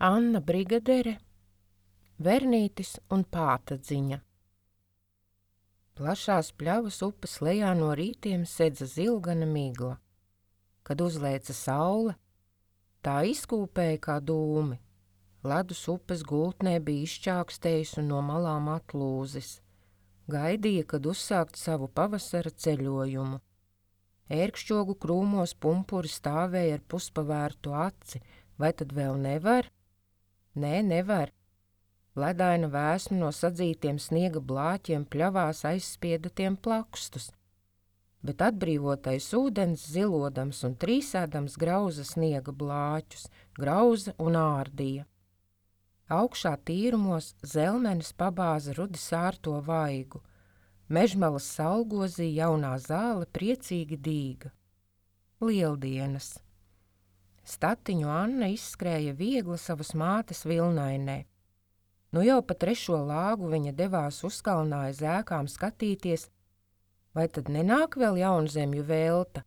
Anna Brigadere, Vernītis un Pātadziņa. Plašās pļavas upes lejā no rītiem sedza zilgana migla. Kad uzlēca saule, tā izkūpēja kā dūmi. Ledus upes gultnē bija izšķākstējis un no malām atlūzis. Gaidīja, kad uzsākt savu pavasara ceļojumu. Ērkšķogu krūmos pumpuri stāvēja ar puspavērtu aci. Vai tad vēl nevar? Nē, nevar. Ledaina vēsma no sadzītiem sniega blāķiem pļavās aizspieda tiem plakstus, bet atbrīvotais ūdens zilodams un trīsēdams grauza sniega blāķus, grauza un ārdīja. Augšā tīrumos zelmenis pabāza rudi sārto vaigu, mežmalas saulgozī jaunā zāle priecīgi dīga. Lieldienas. Statiņu Anna izskrēja viegla savas mātes vilnainē. Nu jau pa 3. lāgu viņa devās uzkalnā aiz ēkām skatīties, vai tad nenāk vēl Jaunzemju velta,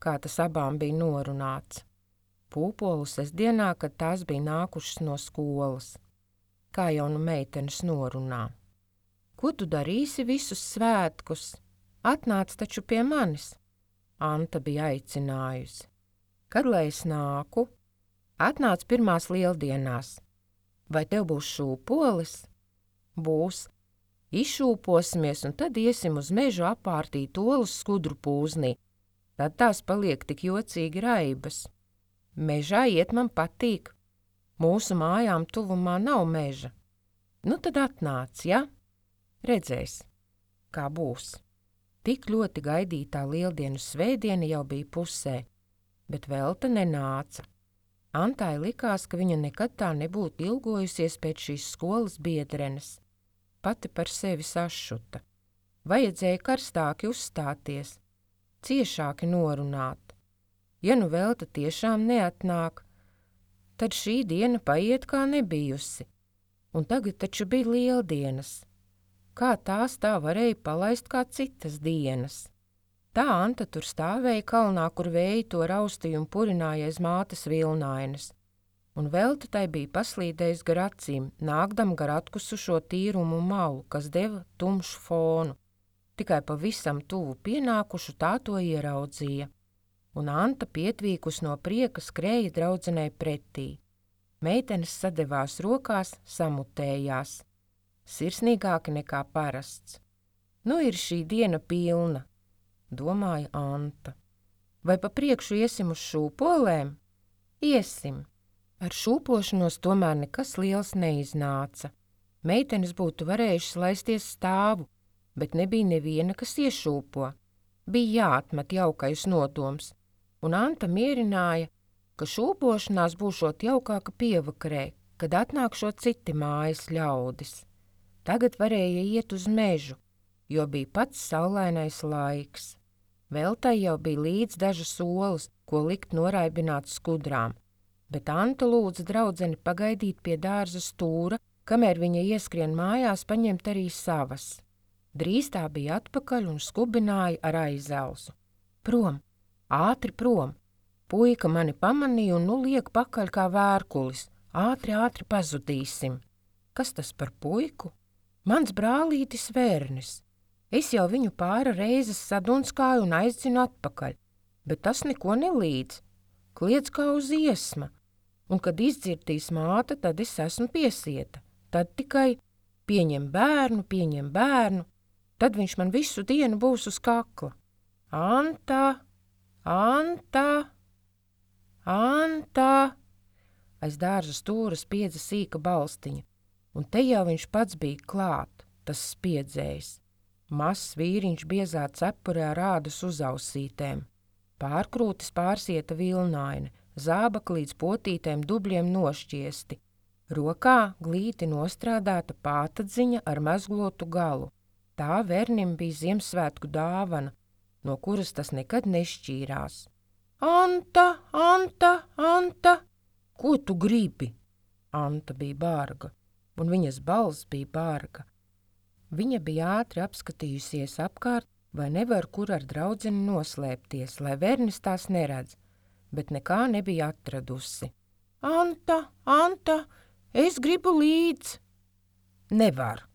kā tas abām bija norunāts. Pūpolu sestdienā, kad tās bija nākušas no skolas, kā jau nu meitenes norunā. Ko tu darīsi visus svētkus? Atnāc taču pie manis, Anta bija aicinājusi. Kad lai es nāku? Atnāc pirmās lieldienās. Vai tev būs šūpolis? Būs. Izšūposimies un tad iesim uz mežu apārtīt olus skudru pūznī. Tad tās paliek tik jocīgi raibas. Mežā iet man patīk. Mūsu mājām tuvumā nav meža. Nu tad atnāc, ja? Redzēs, kā būs. Tik ļoti gaidītā lieldienu svētdiena jau bija pusē, bet Velta nenāca. Antai likās, ka viņa nekad tā nebūtu ilgojusies pēc šīs skolas biedrenes. Pati par sevi sašuta. Vajadzēja karstāki uzstāties, ciešāki norunāt. Ja nu Velta tiešām neatnāk, tad šī diena paiet kā nebijusi. Un tagad taču bija lieldienas. Kā tās tā varēja palaist kā citas dienas? Tā Anta tur stāvēja kalnā, kur vēji to raustīja un purināja aiz mātes vilnainas. Un Velta tai bija paslīdējis gar acīm, nākdam gar atkusušo tīrumu malu, kas deva tumšu fonu. Tikai pavisam tuvu pienākušu tā to ieraudzīja. Un Anta pietvīkus no prieka skrēja draudzenei pretī. Meitenes sadevās rokās, samutējās. Sirsnīgāki nekā parasts. Nu ir šī diena pilna, domāja Anta. Vai pa priekšu iesim uz šūpolēm? Iesim. Ar šūpošanos tomēr nekas liels neiznāca. Meitenes būtu varējušas laisties stāvu, bet nebija neviena, kas iešūpo. Bija jāatmet jaukais nodoms, un Anta mierināja, ka šūpošanās būšot jaukāka pievakarē, kad atnākšot citi mājas ļaudis. Tagad varēja iet uz mežu, jo bija pats saulainais laiks. Veltai jau bija līdz dažas olas, ko likt noraibināt skudrām, bet Anta lūdza draudzeni pagaidīt pie dārza stūra, kamēr viņa ieskrien mājās paņemt arī savas. Drīz tā bija atpakaļ un skubināja ar aizelsu. Prom, ātri prom! Puika mani pamanīja un nu liek pakaļ kā vērkulis. Ātri, ātri pazudīsim. Kas tas par puiku? Mans brālītis Vernis. Es jau viņu pāra reizes sadunskāju un aizdzinu atpakaļ, bet tas neko nelīdz. Kliedz kā uz iesma, un kad izdzirdīs māte, tad es esmu piesieta. Tad tikai pieņem bērnu, tad viņš man visu dienu būs uz kakla. Anta, Anta, Anta! Aiz dārza stūra spiedza sīka balstiņa, un te jau viņš pats bija klāt, tas spiedzējs. Mazs vīriņš biezā cepurē rādas uz ausītēm. Pārkrūtis pārsieta vilnaine, zābaka līdz potītēm dubļiem nošķiesti. Rokā glīti nostrādāta pātadziņa ar mezglotu galu. Tā Vernim bija Ziemassvētku dāvana, no kuras tas nekad nešķīrās. Anta, Anta, Anta! Ko tu gribi? Anta bija bārga, un viņas balss bija bārga. Viņa bija ātri apskatījusies apkārt, vai nevar kur ar draudzeni noslēpties, lai Vernis tās neredz, bet nekā nebija atradusi. Anta, es gribu līdz. Nevar.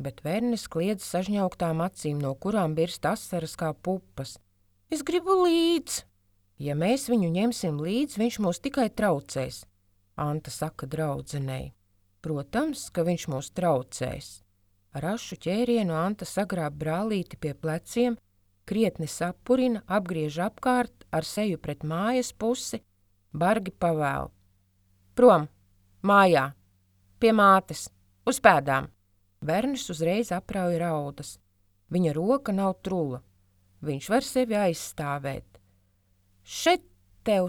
Bet Vernis kliedz sažņauktām acīm, no kurām birst asaras kā pupas. Es gribu līdz. Ja mēs viņu ņemsim līdz, viņš mūs tikai traucēs, Anta saka draudzenei. Protams, ka viņš mūs traucēs. Ar ašu ķērienu Anta sagrāb brālīti pie pleciem, krietni sapurina, apgriež apkārt ar seju pret mājas pusi, bargi pavēl. Prom, mājā, pie mātes, uz pēdām. Vernis uzreiz aprauj raudas. Viņa roka nav trula. Viņš var sevi aizstāvēt. Šet tev!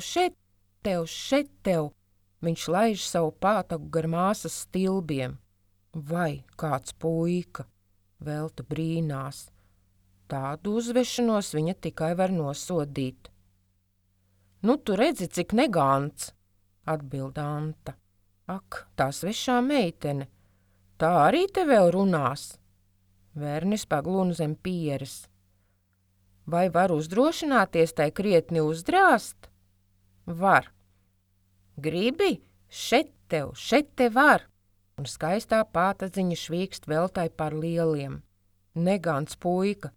Viņš laiž savu pātagu gar māsas stilbiem. Vai kāds puika, Velta brīnās. Tādu uzvešanos viņa tikai var nosodīt. Nu, tu redzi, cik negants, atbild Anta. Ak, tā svešā meitene, tā arī te vēl runās. Vernis paglūna zem pieres. Vai var uzdrošināties tai krietni uzdrāst? Var. Gribi? Šet te var. Un skaistā pātadziņa švīkst Veltai par lieliem. Negants puika,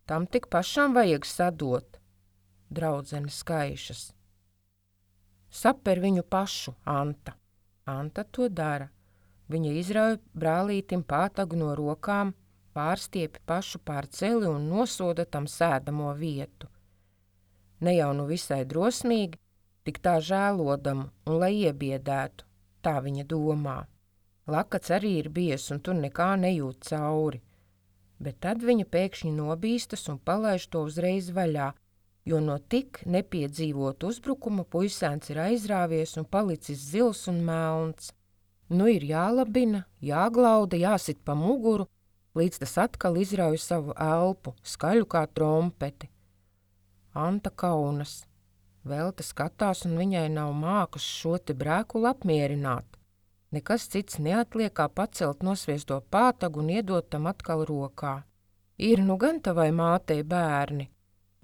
tam tik pašam vajag sadot. Draudzene skaišas. Saper viņu pašu, Anta. Anta to dara. Viņa izrauj brālītim pātagu no rokām, pārstiepi pašu pār celi un nosoda tam sēdamo vietu. Ne jau nu visai drosmīgi, tik tā žēlodamu un lai iebiedētu, tā viņa domā. Lakats arī ir bies un tur nekā nejūt cauri, bet tad viņa pēkšņi nobīstas un palaiž to uzreiz vaļā, jo no tik nepiedzīvot uzbrukuma puisēns ir aizrāvies un palicis zils un melns. Nu ir jālabina, jāglauda, jāsit pa muguru, līdz tas atkal izrauj savu elpu, skaļu kā trompeti. Anta kaunas. Velta skatās un viņai nav mākas šo te brēkulu apmierināt. Nekas cits neatliek kā pacelt nosviesto pātagu un iedot tam atkal rokā. Ir nu gan tavai mātei bērni.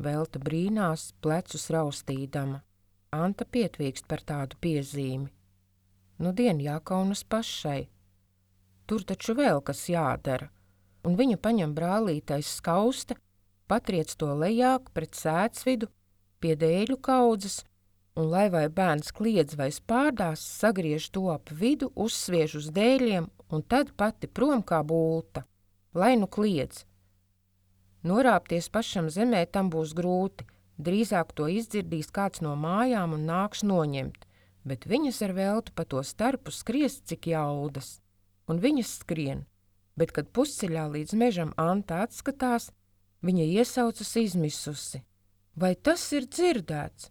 Velta brīnās, plecus raustīdama. Anta pietvīkst par tādu piezīmi. Nudien jākaunas pašai. Tur taču vēl kas jādara. Un viņa paņem brālītais skauste, patriec to lejāk pret sēdsvidu, pie dēļu kaudzes, un lai vai bērns kliedz vai spārdās, sagriež to ap vidu, uzsviež uz dēļiem un tad pati prom kā bulta. Lai nu kliedz. Norāpties pašam zemē tam būs grūti, drīzāk to izdzirdīs kāds no mājām un nāks noņemt, bet viņas ar Veltu pa to starpu skriest cik jaudas. Un viņas skrien, bet kad pusceļā līdz mežam Anta atskatās, viņa iesaucas izmisusi. Vai tas ir dzirdēts?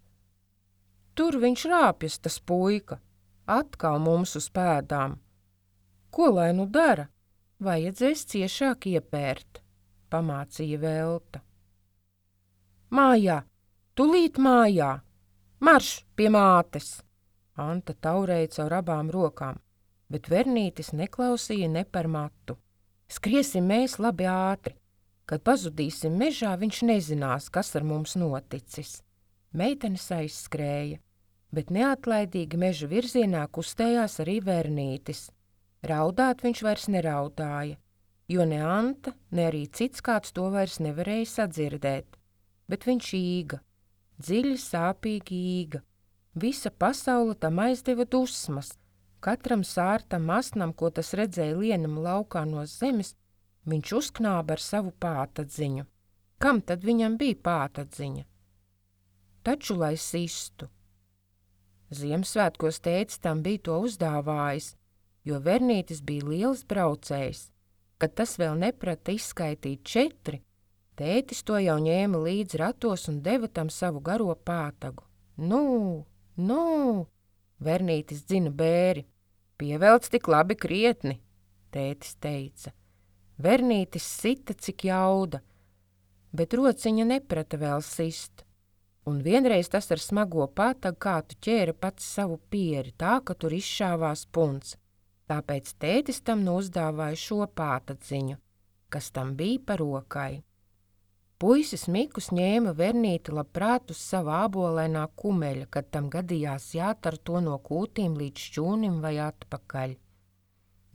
Tur viņš rāpjas, tas puika, atkal mums uz pēdām. Ko lai nu dara? Vajadzēs ciešāk iepērt, pamācīja Velta. Mājā, tulīt mājā, marš pie mātes! Anta taurēja caur abām rokām, bet Vernītis neklausīja ne par matu. Skriesim mēs labi ātri. Kad pazudīsim mežā, viņš nezinās, kas ar mums noticis. Meitenes aizskrēja, bet neatlaidīgi meža virzienā kustējās arī Vernītis. Raudāt viņš vairs neraudāja, jo ne Anta, ne arī cits kāds to vairs nevarēja sadzirdēt. Bet viņš īga, dziļi sāpīgi īga. Visa pasaule tam aizdeva dusmas. Katram sārtam asnam, ko tas redzēja lienam laukā no zemes, viņš uzknāba ar savu pātadziņu. Kam tad viņam bija pātadziņa? Taču, lai sistu. Ziemassvētkos tētis tam bija to uzdāvājis, jo Vernītis bija liels braucējs. Kad tas vēl neprata izskaitīt 4, tētis to jau ņēma līdzi ratos un deva tam savu garo pātagu. Nu! Vernītis dzina bēri. Pievelc tik labi krietni, tētis teica. Vernītis sita cik jauda, bet rociņa neprata vēl sist. Un vienreiz tas ar smago pātagu kātu ķēra pats savu pieri, tā, ka tur izšāvās punts. Tāpēc tētis tam uzdāvāja šo pātadziņu, kas tam bija pa rokai. Puisis Mikus ņēma Vernīti labprāt uz sava ābolainā kumeļa, kad tam gadījās jātar to no kūtīm līdz šķūnim vai atpakaļ.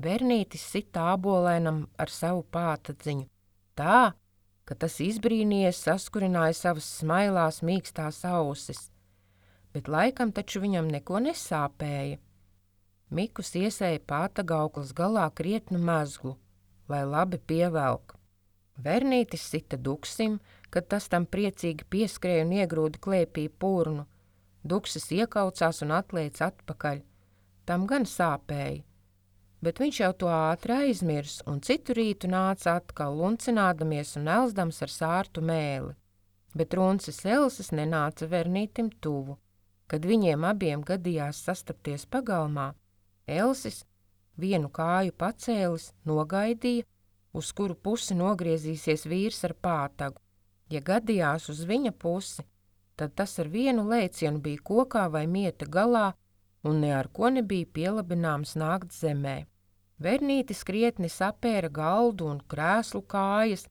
Vernītis sita ābolainam ar savu pātadziņu, tā, ka tas izbrīnījies saskurināja savas smailās mīkstās ausis, bet laikam taču viņam neko nesāpēja. Mikus iesēja pātagauklas galā krietnu mezglu, lai labi pievelk. Vernītis sita duksim, kad tas tam priecīgi pieskrēja un iegrūda klēpī purnu. Duksis iekaucās un atlēca atpakaļ. Tam gan sāpēja, bet viņš jau to ātri aizmirs un citu rītu nāca atkal luncinādamies un elzdams ar sārtu mēli. Bet runcis Elses nenāca Vernītim tuvu. Kad viņiem abiem gadījās sastapties pagalmā, Elsis, vienu kāju pacēlis, nogaidīja, uz kuru pusi nogriezīsies vīrs ar pātagu. Ja gadījās uz viņa pusi, tad tas ar vienu lēcienu bija kokā vai mieta galā un ne ar ko nebija pielabināms nākt zemē. Vernītis krietni sapēra galdu un krēslu kājas,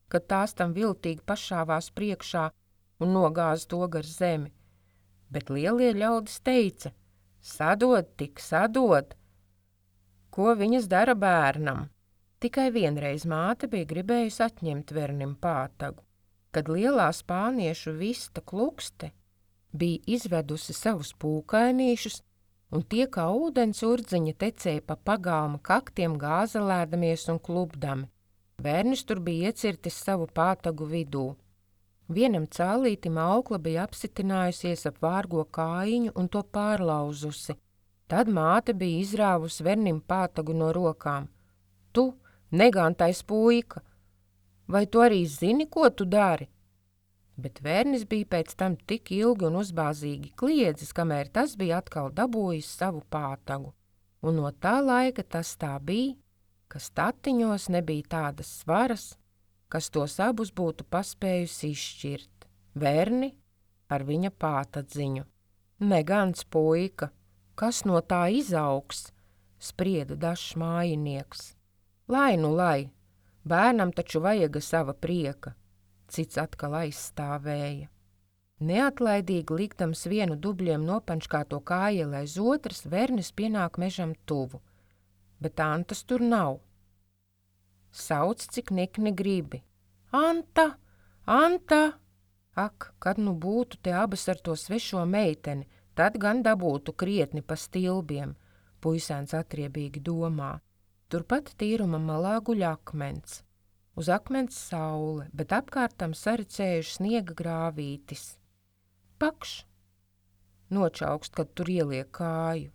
kad tās tam viltīgi pašāvās priekšā un nogāza to gar zemi. Bet lielie ļaudis teica: sadod tik, sadod! Ko viņas dara bērnam? Tikai vienreiz māte bija gribējusi atņemt Vernim pātagu, kad lielā spāniešu vista Klukste bija izvedusi savus pūkainīšus, un tie kā ūdens urdziņa tecēja pa pagalma kaktiem gāzelēdamies un klubdami. Vernis tur bija iecirtis savu pātagu vidū. Vienam cālītim aukla bija apsitinājusies ap vārgo kājiņu un to pārlauzusi. Tad māte bija izrāvusi Vernim pātagu no rokām. Tu, negantais puika, vai tu arī zini, ko tu dari? Bet Vernis bija pēc tam tik ilgi un uzbāzīgi kliedzis, kamēr tas bija atkal dabūjis savu pātagu. Un no tā laika tas tā bija, ka statiņos nebija tādas svaras, kas tos abus būtu paspējusi izšķirt. Verni ar viņa pātadziņu. Negans puika, kas no tā izaugs, sprieda dažs mājinieks. Lai nu lai, bērnam taču vajaga sava prieka, cits atkal aizstāvēja. Neatlaidīgi likdams vienu dubļiem nopančkāto kājieli aiz otras, Vernis pienāk mežam tuvu, bet Antas tur nav. Sauc, cik nikni gribi. Anta! Anta! Ak, kad nu būtu te abas ar to svešo meiteni, tad gan dabūtu krietni pa stilbiem, puisēns atriebīgi domā. Turpat tīruma malā guļ akmens. Uz akmens saule, bet apkārtam saricējuši sniega grāvītis. Pakš! Nočaukst, kad tur ieliek kāju.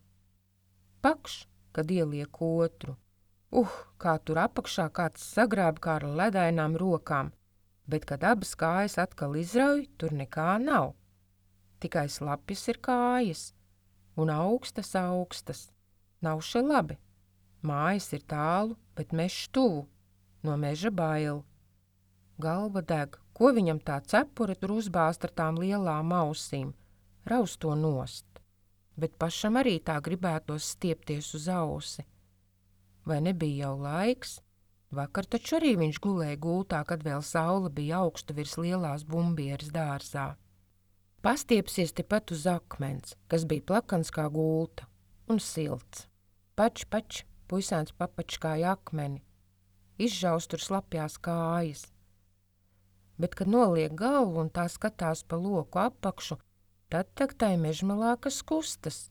Pakš, kad ieliek otru. Kā tur apakšā kāds sagrāb kā ar ledainām rokām, bet, kad abas kājas atkal izrauj, tur nekā nav. Tikai slapjas ir kājas, un augstas. Nav še labi. Mājas ir tālu, bet mežs tuvu, no meža bail. Galva deg, ko viņam tā cepure tur uzbāzt ar tām lielām ausīm, raust to nost. Bet pašam arī tā gribētos stiepties uz ausi. Vai nebija jau laiks? Vakar taču arī viņš gulēja gultā, kad vēl saule bija augsta virs lielās bumbieres dārzā. Pastiepsies tepat uz akmens, kas bija plakans kā gulta, un silts. Pač, puisēns papačkāja akmeni, izžaust tur slapjās kājas. Bet, kad noliek galvu un tā skatās pa loku apakšu, tad tai mežmalā kas kustas.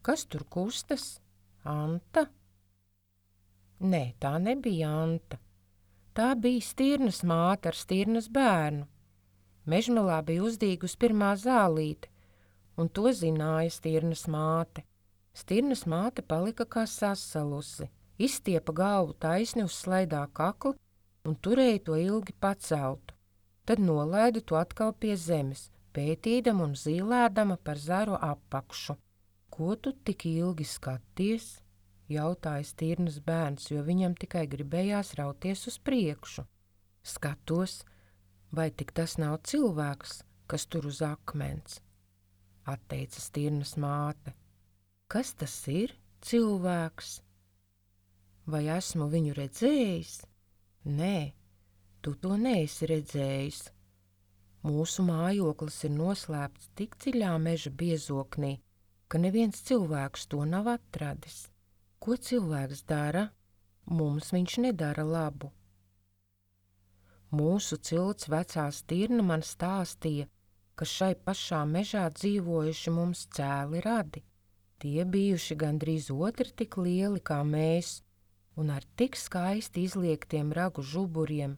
Kas tur kustas? Anta? Nē, tā nebija Anta. Tā bija Stirnas māte ar Stirnas bērnu. Mežmalā bija uzdīgus pirmā zālīte, un to zināja Stirnas māte. Stirnas māte palika kā sasalusi, izstiepa galvu taisni uz slaidā kakla un turēja to ilgi paceltu. Tad nolaida to atkal pie zemes, pētīdama un zīlēdama par zaru apakšu. Ko tu tik ilgi skaties? Jautāja Stirnas bērns, jo viņam tikai gribējās rauties uz priekšu. Skatos, vai tik tas nav cilvēks, kas tur uz akmens? Atteica Stirnas māte. Kas tas ir, cilvēks? Vai esmu viņu redzējis? Nē, Tu to neesi redzējis. Mūsu mājoklis ir noslēpts tik dziļā meža biezoknī, ka neviens cilvēks to nav atradis. Ko cilvēks dara? Mums viņš nedara labu. Mūsu cilts vecā stirna man stāstīja, ka šai pašā mežā dzīvojuši mums cēli radi. Tie bijuši gandrīz otri tik lieli kā mēs, un ar tik skaisti izliektiem ragu žuburiem,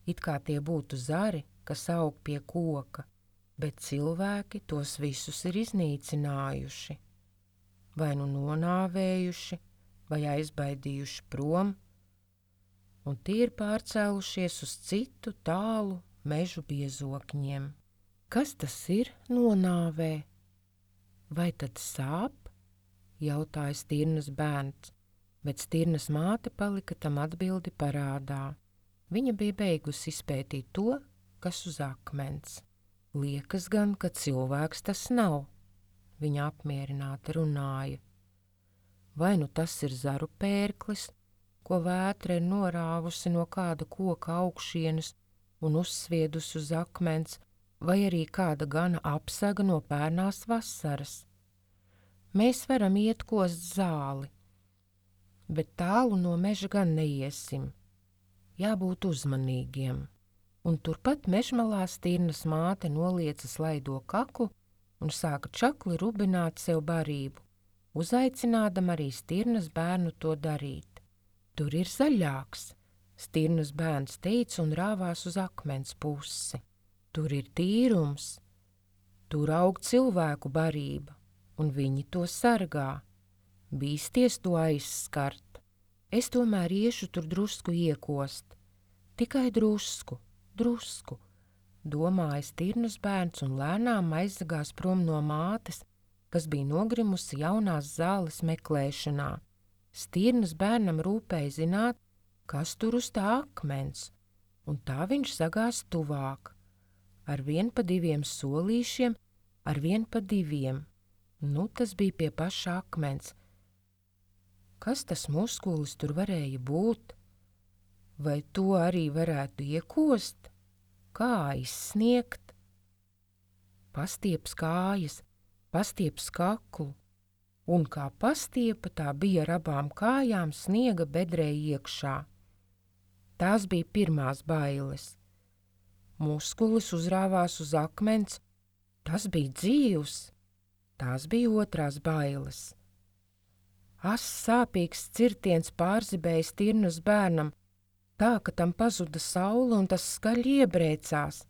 it kā tie būtu zari, kas aug pie koka, bet cilvēki tos visus ir iznīcinājuši, vai nu nonāvējuši, vai aizbaidījuši prom, un tie ir pārcēlušies uz citu tālu mežu biezokņiem. Kas tas ir nonāvē? Vai tad sāp? Jautāja stirnas bērns, bet stirnas māte palika tam atbildi parādā. Viņa bija beigusi izpētīt to, kas uz akmens. Liekas gan, ka cilvēks tas nav, viņa apmierināti runāja. Vai nu tas ir zaru pērklis, ko vētra ir norāvusi no kāda koka augšienes un uzsviedusi uz akmens, vai arī kāda gana apsaga no pērnās vasaras. Mēs varam iet kost zāli, bet tālu no meža gan neiesim. Jābūt uzmanīgiem. Un turpat mežmalā stirnas māte nolieca slaido kaklu un sāka čakli rubināt sev barību, uzaicinādam arī stirnas bērnu to darīt. Tur ir zaļāks, stirnas bērns teica un rāvās uz akmens pusi. Tur ir tīrums, tur aug cilvēku barība, un viņi to sargā. Bīsties to aizskart. Es tomēr iešu tur drusku iekost. Tikai drusku, domāja stirnas bērns un lēnām aizsagās prom no mātes, kas bija nogrimusi jaunās zāles meklēšanā. Stirnas bērnam rūpēja zināt, kas tur uz tā akmens, un tā viņš sagās tuvāk. Arvien pa 2 solīšiem, arvien pa 2. Nu, tas bija pie paša akmens. Kas tas muskulis tur varēja būt? Vai to arī varētu iekost? Kā izsniegt? Pastieps kājas, pastieps kaklu, un kā pastiepa tā bija ar abām kājām sniega bedrē iekšā. Tās bija pirmās bailes. Muskulis uzrāvās uz akmens, tas bija dzīvs, tās bija otrās bailes. Sāpīgs cirtiens pārzibēja stirnas bērnam, tā, ka tam pazuda saule un tas skaļi iebrēcās.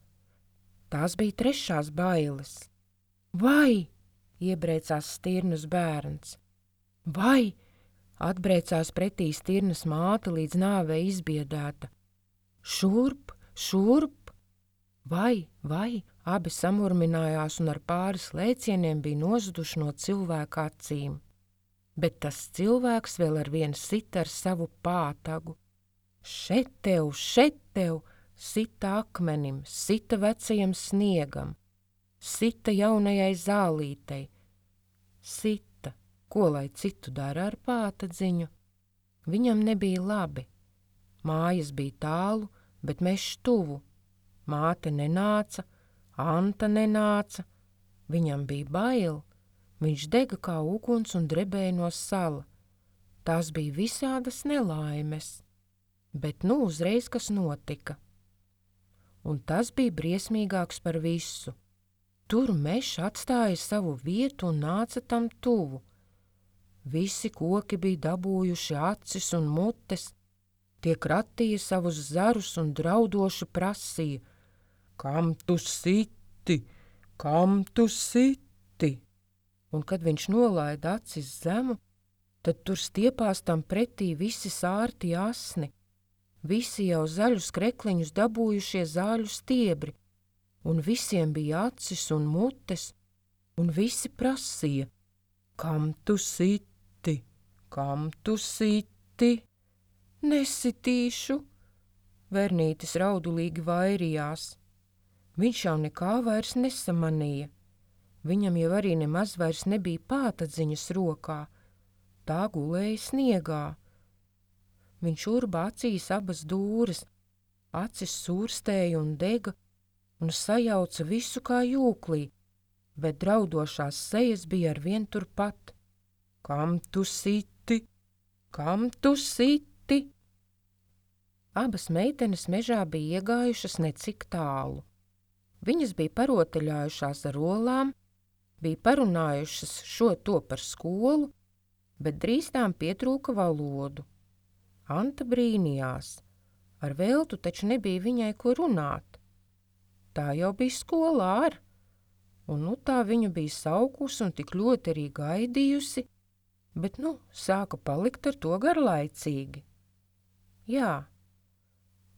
Tās bija trešās bailes. Vai, iebrēcās stirnas bērns. Vai, atbrēcās pretī stirnas māte līdz nāvei izbiedēta. Šurp, šurp. Vai, abi samurminājās un ar pāris lēcieniem bija nozuduši no cilvēka acīm. Bet tas cilvēks vēl ar vienu sita ar savu pātagu. Šet tev, sita akmenim, sita vecajam sniegam, sita jaunajai zālītei. Sita, ko lai citu dara ar pātadziņu? Viņam nebija labi. Mājas bija tālu, bet mežs tuvu. Māte nenāca, Anta nenāca, viņam bija bail, viņš dega kā uguns un drebēja no sala. Tās bija visādas nelaimes, bet nu uzreiz kas notika. Un tas bija briesmīgāks par visu. Tur mežs atstāja savu vietu un nāca tam tuvu. Visi koki bija dabūjuši acis un mutes, tie kratīja savus zarus un draudoši prasīja: Kam tu siti? Kam tu siti? Un kad viņš nolaida acis zemu, tad tur stiepās tam pretī visi sārti asni, visi jau zaļus krekliņus dabūjušie zāļu stiebri, un visiem bija acis un mutes, un visi prasīja: Kam tu siti? Kam tu siti? Nesitīšu, Vernītis raudulīgi vairījās. Viņš jau nekā vairs nesamanīja. Viņam jau arī nemaz vairs nebija pātadziņas rokā. Tā gulēja sniegā. Viņš urba acīs abas dūres, Acis sūrstēja un dega un sajauca visu kā jūklī, bet draudošās sejas bija arvien turpat. Kam tu siti? Kam tu siti? Abas meitenes mežā bija iegājušas necik tālu. Viņas bija parotaļājušās ar olām, bija parunājušas šo to par skolu, bet drīz tām pietrūka valodu. Anta brīnījās. Ar Veltu taču nebija viņai ko runāt. Tā jau bija skolā un tā viņu bija saukusi un tik ļoti arī gaidījusi, bet sāka palikt ar to garlaicīgi. Jā,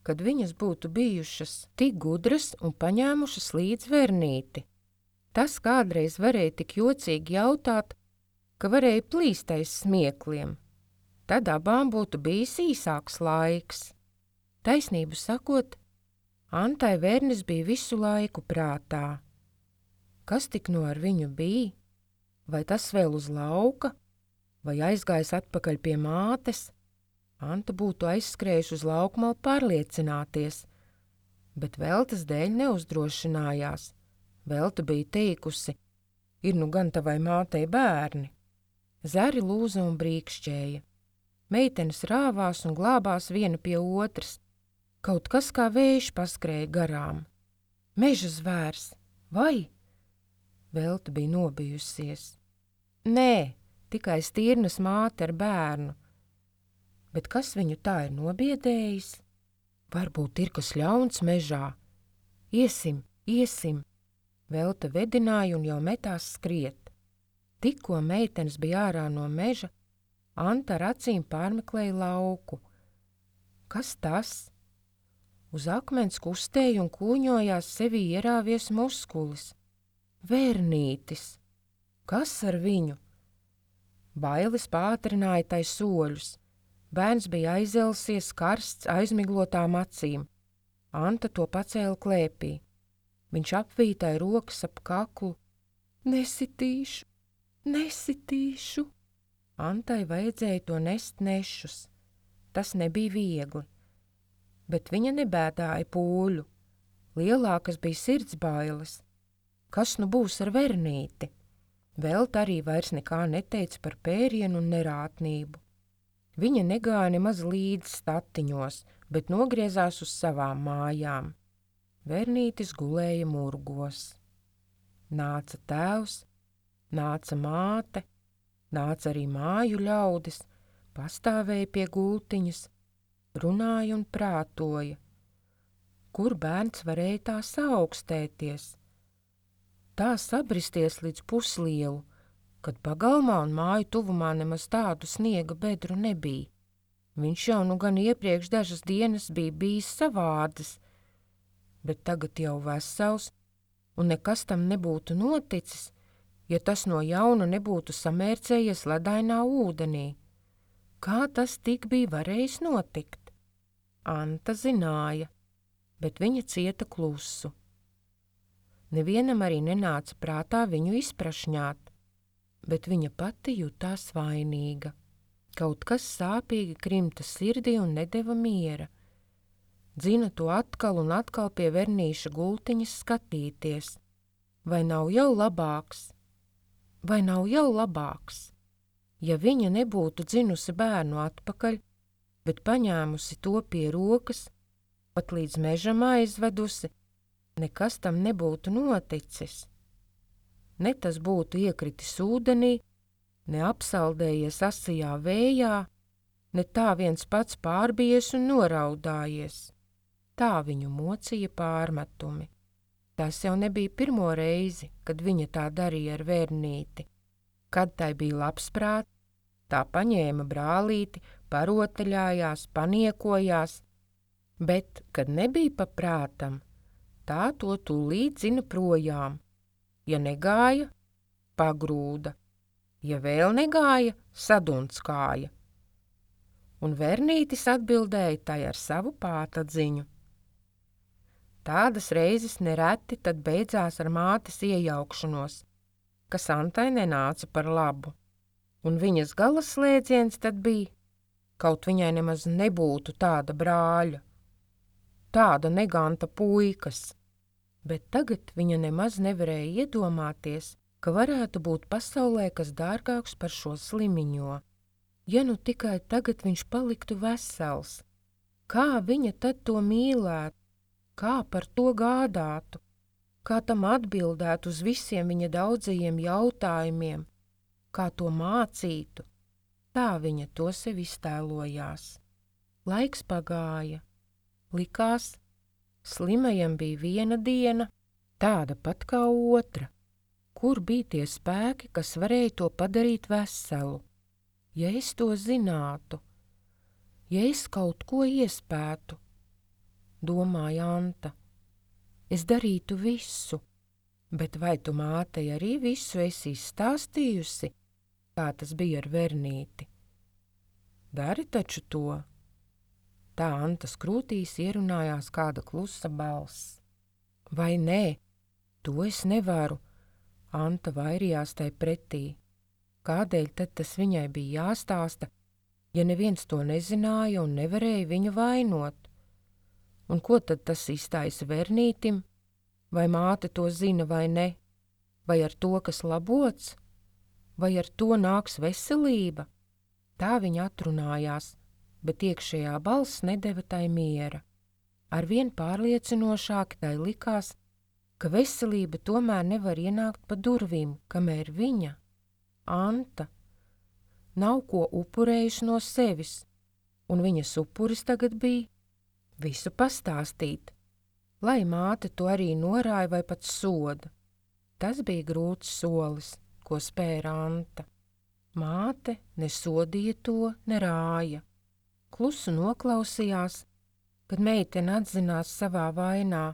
kad viņas būtu bijušas tik gudras un paņēmušas līdz Vernīti. Tas kādreiz varēja tik jocīgi jautāt, ka varēja plīst aiz smiekliem. Tad abām būtu bijis īsāks laiks. Taisnību sakot, Antai Vernis bija visu laiku prātā. Kas tik ar viņu bija? Vai tas vēl uz lauka? Vai aizgājis atpakaļ pie mātes? Anta būtu aizskrējuši uz laukmalu pārliecināties, bet Veltas dēļ neuzdrošinājās. Velta bija teikusi, ir gan tavai mātei bērni. Zari lūza un brīkšķēja. Meitenes rāvās un glābās viena pie otras. Kaut kas kā vējš paskrēja garām. Meža zvērs, vai? Velta bija nobijusies. Nē, tikai Stirnas māte ar bērnu. Bet kas viņu tā ir nobiedējis? Varbūt ir kas ļauns mežā. Iesim, iesim. Velta vedināja un jau metās skriet. Tikko meitenes bija ārā no meža, Anta ar acīm pārmeklēja lauku. Kas tas? Uz akmens kustēja un kūņojās sevī ierāvies muskulis. Vernītis! Kas ar viņu? Bailes pātrināja tai soļus. Bērns bija aizelsies karsts aizmiglotām acīm. Anta to pacēla klēpī. Viņš apvītāja rokas ap kaklu. Nesitīšu, nesitīšu. Antai vajadzēja to nest nešus. Tas nebija viegli. Bet viņa nebēdāja pūļu. Lielākas bija sirds bailes. Kas būs ar Vernīti? Velta arī vairs nekā neteica par pērienu un nerātnību. Viņa negāja nemaz līdz statiņos, bet nogriezās uz savām mājām. Vernītis gulēja murgos. Nāca tēvs, nāca māte, nāca arī māju ļaudis, pastāvēja pie gultiņas, runāja un prātoja. Kur bērns varēja tā saaugstēties? Tā sabristies līdz puslielu, kad pagalmā un māju tuvumā nemaz tādu sniega bedru nebija. Viņš jau gan iepriekš dažas dienas bija bijis savādas, bet tagad jau vesels, un nekas tam nebūtu noticis, ja tas no jauna nebūtu samērcējies ledainā ūdenī. Kā tas tik bija varējis notikt? Anta zināja, bet viņa cieta klusu. Nevienam arī nenāca prātā viņu izprašņāt, bet viņa pati jutās vainīga. Kaut kas sāpīgi krimta sirdī un nedeva miera. Dzina to atkal un atkal pie Vernīša gultiņas skatīties. Vai nav jau labāks? Vai nav jau labāks? Ja viņa nebūtu dzinusi bērnu atpakaļ, bet paņēmusi to pie rokas, pat līdz mežam aizvedusi, nekas tam nebūtu noticis. Ne tas būtu iekritis ūdenī, ne apsaldējies asajā vējā, ne tā viens pats pārbies un noraudājies. Tā viņu mocīja pārmetumi. Tas jau nebija pirmo reizi, kad viņa tā darīja ar Vernīti. Kad tai bija labs prāts, tā paņēma brālīti, parotaļājās, paniekojās, bet, kad nebija pa prātam, tā to tūlīt zina projām. Ja negāja, pagrūda, ja vēl negāja, sadunskāja. Un Vernītis atbildēja tai ar savu pātadziņu. Tādas reizes nereti tad beidzās ar mātes iejaukšanos, kas Antai nenāca par labu. Un viņas galaslēdziens tad bija, kaut viņai nemaz nebūtu tāda brāļa. tāda neganta puikas. Bet tagad viņa nemaz nevarēja iedomāties, ka varētu būt pasaulē kas dārgāks par šo slimiņo. Ja nu tikai tagad viņš paliktu vesels, kā viņa tad to mīlētu, kā par to gādātu, kā tam atbildētu uz visiem viņa daudzajiem jautājumiem, kā to mācītu. Tā viņa to sev iztēlojās. Laiks pagāja. Likās, slimajam bija viena diena, tāda pat kā otra. Kur bija tie spēki, kas varēja to padarīt veselu? Ja es to zinātu, ja es kaut ko iespētu, domāja Anta, es darītu visu, bet vai tu mātei arī visu esi izstāstījusi, kā tas bija ar Vernīti? Dari taču to. Tā Antas krūtīs ierunājās kāda klusa balss. Vai nē, to es nevaru, Anta vairījās tai pretī. Kādēļ tad tas viņai bija jāstāsta, ja neviens to nezināja un nevarēja viņu vainot? Un ko tad tas izstājas Vernītim? Vai māte to zina vai ne? Vai ar to, kas labots? Vai ar to nāks veselība? Tā viņa atrunājās, bet iekšējā balss nedeva tai miera. Arvien pārliecinošāk tai likās, ka veselība tomēr nevar ienākt pa durvīm, kamēr viņa, Anta, nav ko upurējuši no sevis, un viņas upuris tagad bija visu pastāstīt, lai māte to arī norāja vai pat soda. Tas bija grūts solis, ko spēra Anta. Māte nesodīja to, nerāja. Klusu noklausījās, kad meitene atzinās savā vainā,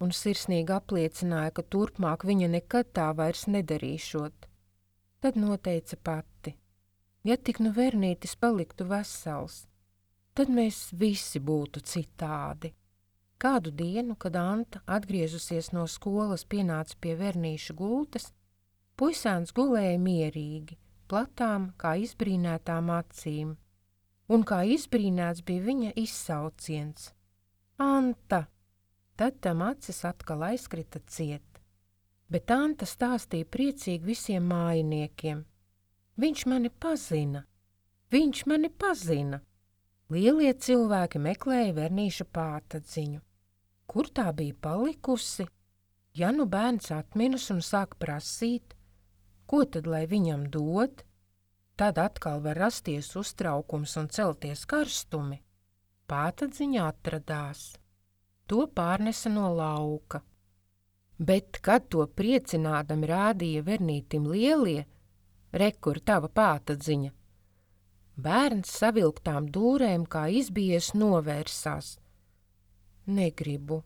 un sirsnīgi apliecināja, ka turpmāk viņa nekad tā vairs nedarīšot. Tad noteica pati, ja tik nu Vernītis paliktu vesels, tad mēs visi būtu citādi. Kādu dienu, kad Anta, atgriezusies no skolas, pienāca pie Vernīša gultas, puisēns gulēja mierīgi, platām kā izbrīnētām acīm, un kā izbrīnēts bija viņa izsauciens. Anta! Tad tam acis atkal aizkrita ciet. Bet Anta stāstīja priecīgi visiem mājiniekiem. Viņš mani pazina! Viņš mani pazina! Lielie cilvēki meklēja Vernīša pātadziņu. Kur tā bija palikusi? Ja nu bērns atminas un sāk prasīt, ko tad lai viņam dod? Tad atkal var rasties uztraukums un celties karstumi. Pātadziņa atradās. To pārnesa no lauka. Bet, kad to priecinādami rādīja Vernītim lielie, rekur tava pātadziņa, bērns savilktām dūrēm kā izbijies novērsās. Negribu.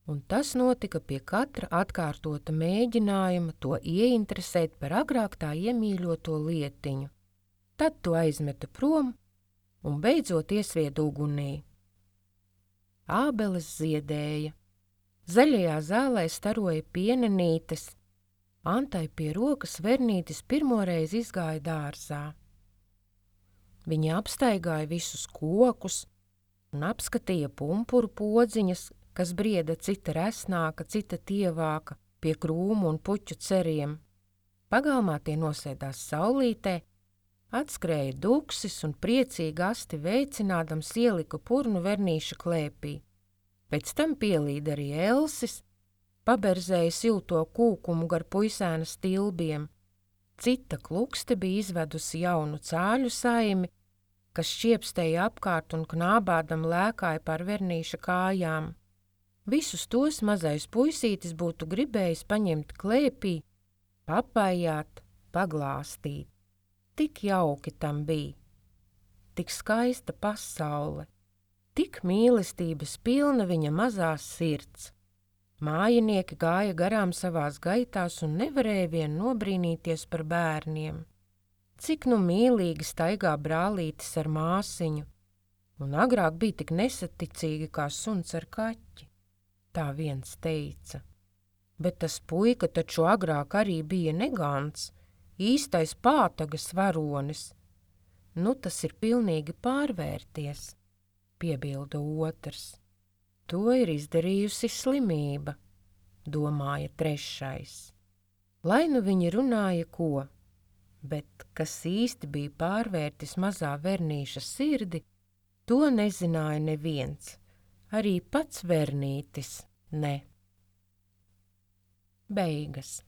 Un tas notika pie katra atkārtota mēģinājuma to ieinteresēt par agrāk tā iemīļoto lietiņu. Tad to aizmeta prom un beidzot iesvieda ugunī. Ābeles ziedēja. Zaļajā zālē staroja pienenītes. Antai pie rokas Vernītis pirmoreiz izgāja dārzā. Viņa apstaigāja visus kokus un apskatīja pumpuru podziņas, kas brieda cita resnāka, cita tievāka pie krūmu un puķu ceriem. Pagalmā tie nosēdās saulītē, atskrēja duksis un priecīgi asti veicinādams ielika purnu Vernīša klēpī. Pēc tam pielīda arī Elsis, paberzēja silto kūkumu gar puisēna stilbiem. Cita klukste bija izvedusi jaunu cāļu saimi, kas šķiepstēja apkārt un knābādam lēkāja pār Vernīša kājām. Visus tos mazais puisītis būtu gribējis paņemt klēpī, papājāt, paglāstīt. Tik jauki tam bija, tik skaista pasaule, tik mīlestības pilna viņa mazās sirds. Mājinieki gāja garām savās gaitās un nevarēja vien nobrīnīties par bērniem. Cik nu mīlīgi staigā brālītis ar māsiņu, un agrāk bija tik nesaticīgi kā suns ar kaķi, tā viens teica. Bet tas puika taču agrāk arī bija negants, īstais pātagas varonis. Nu tas ir pilnīgi pārvērties. piebilda otrs. To ir izdarījusi slimība, domāja trešais. Lai nu viņi runāja ko, bet kas īsti bija pārvērtis mazā Vernīša sirdi, to nezināja neviens, arī pats Vernītis ne. Beigas.